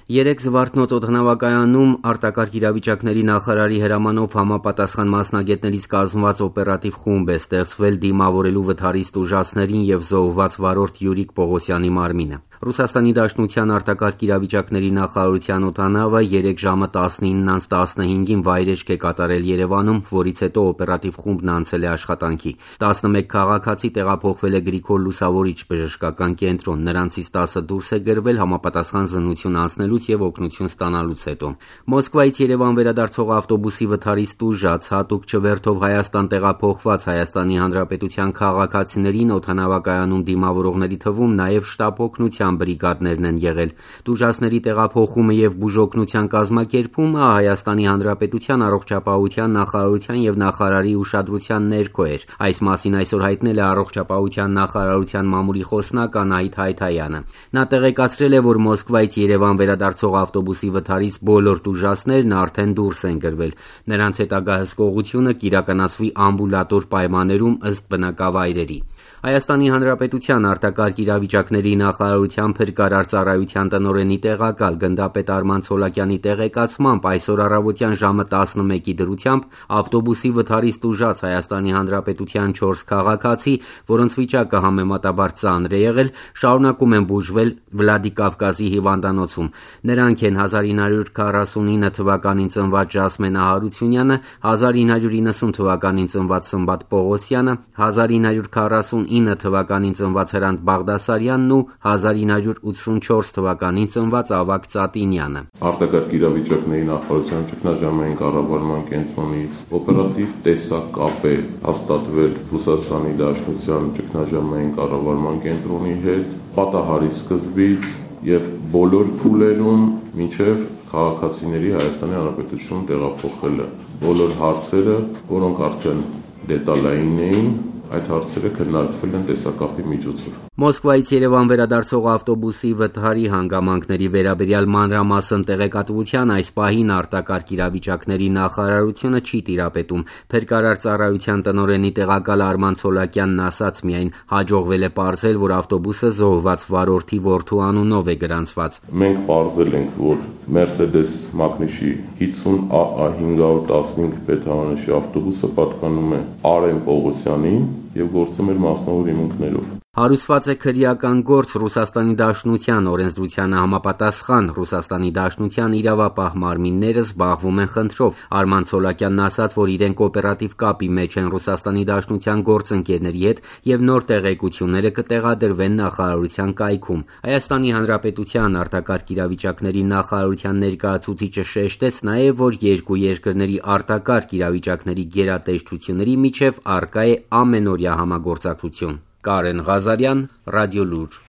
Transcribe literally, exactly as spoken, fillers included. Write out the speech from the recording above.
Երեկ Զվարթնոց օդանավակայանում արտակարգ իրավիճակների նախարարի հրամանով համապատասխան մասնագետներից կազմված օպերատիվ խումբ է ստեղծվել դիմավորելու վթարիստ ուժածներին և զոհված վարորդ Յուրիկ Պողոսյանի մարմինը։ Ռուսաստանի Դաշնության արտակարգ իրավիճակների նախարարության օդանավը երեկ ժամը տասնինը տասնհինգին վայրեջք է կատարել Երևանում, որից հետո օպերատիվ խումբն անցել է աշխատանքի։ տասնմեկ քաղաքացի տեղափոխվել է Գրիգոր Լուսավորիչ բժշկական կենտրոն, նրանցից տասը դուրս է գրվել համապատասխան զննություն անցնելուց և օգնություն ստանալուց հետո։ Մոսկվայից Երևան վերադարձող ավտոբուսի վթարիստ ուժած հատուկ չվերթով Հայաստան տեղափոխված Հայաստանի Հանրապետության քաղաքացիներին օդանավակայանում դիմավորողների թվում նաև շտապ օգնության բրիգադներն են եղել։ Տուժածների տեղափոխումը և բուժօգնության կազմակերպումը Հայաստանի Հանրապետության առողջապահության նախարարության և նախարարի ուշադրության ներքո էր։ Այս մասին այսօր հայտնել է առողջապահության նախարարության մամուլի խոսնակ Անահիտ Հայթայանը։ Նա տեղեկացրել է, որ Մոսկվայից Երևան վերադարձող ավտոբուսի վթարից բոլոր տուժածներն արդեն դուրս են գրվել։ Նրանց հետագա հսկողությունը կիրականացվի ամբուլատոր պայմաններում ըստ բնակավայրերի։ Հայաստանի Հանրապետության արտակարգ իրավիճակների նախարարության փրկարար ծառայության տնօրենի տեղակալ գնդապետ Արման Ցոլակյանի տեղեկացմամբ այսօր առավոտյան ժամը տասնմեկի դրությամբ ավտոբուսի վթարիստ ուժած Հայաստանի Հանրապետության չորս քաղաքացի, որոնց վիճակը համեմատաբար ծանր է եղել, շարունակում են բուժվել Վլադիկավկազի հիվանդանոցում։ Նրանք են հազար ինը հարյուր քառասունինը թվականին ծնված Ժասմենա Հարությունյանը, հազար ինը հարյուր իննսուն թվականին ծնված Սմբատ Պողոսյանը, հազար ինը հարյուր քառասունինը թվականին ծնված Հրանտ Բաղդասարյանն ու հազար ինը հարյուր ութսունչորս թվականին ծնված Ավագ Ծատինյանը։ Արտակարգ իրավիճակների նախարարության ճգնաժամային կառավարման կենտրոնից օպերատիվ տեսակապ է հաստատվել Ռուսաստանի Դաշնության ճգնաժամային կառավարման կենտրոնի հետ պատահարի սկզբից եւ բոլոր փուլերում մինչեւ քաղաքացիների Հայաստանի Հանրապետություն տեղափոխելը։ Բոլոր հարցերը, որոնք արդեն դետալային էին, այդ հարցերը քննարկվել են տեսակապի միջոցով։ Մոսկվայից Երևան վերադարձող ավտոբուսի վթարի հանգամանքների վերաբերյալ մանրամասն տեղեկատվության այս պահին արտակարգ իրավիճակների նախարարությունը չի տիրապետում։ Փրկարար ծառայության տնօրենի տեղակալ Արման Ցոլակյանն ասաց միայն հաջողվել է պարզել, որ ավտոբուսը զոհված վարորդի որդու անունով է գրանցված։ Մենք պարզել ենք, որ Mercedes Magnus-ի հինգսուն A A հինգ հարյուր տասնհինգ բետամանիշի ավտոբուսը պատկանում է Արեն Պողոսյանին եւ գործում էր մասնավոր հիմունքներով։ Հարուսված է քրեական գործ Ռուսաստանի Դաշնության օրենսդրությանը համապատասխան Ռուսաստանի Դաշնության իրավապահ մարմինները զբաղվում են խնդրով։ Արման Ցոլակյանն ասաց, որ իրենք օպերատիվ կապի մեջ են Ռուսաստանի Դաշնության գործընկերների հետ եւ նոր տեղեկությունները կտեղադրվեն նախարարության կայքում։ Հայաստանի Հանրապետության արտակարգ իրավիճակների նախարարության ներկայացուցիչը շեշտեց նաեւ, որ երկու երկրների արտակարգ իրավիճակների գերատեսչությունների միջև առկա է ամենօրյա համագործակցություն։ Կարեն Ղազարյան, Ռադիոլուր։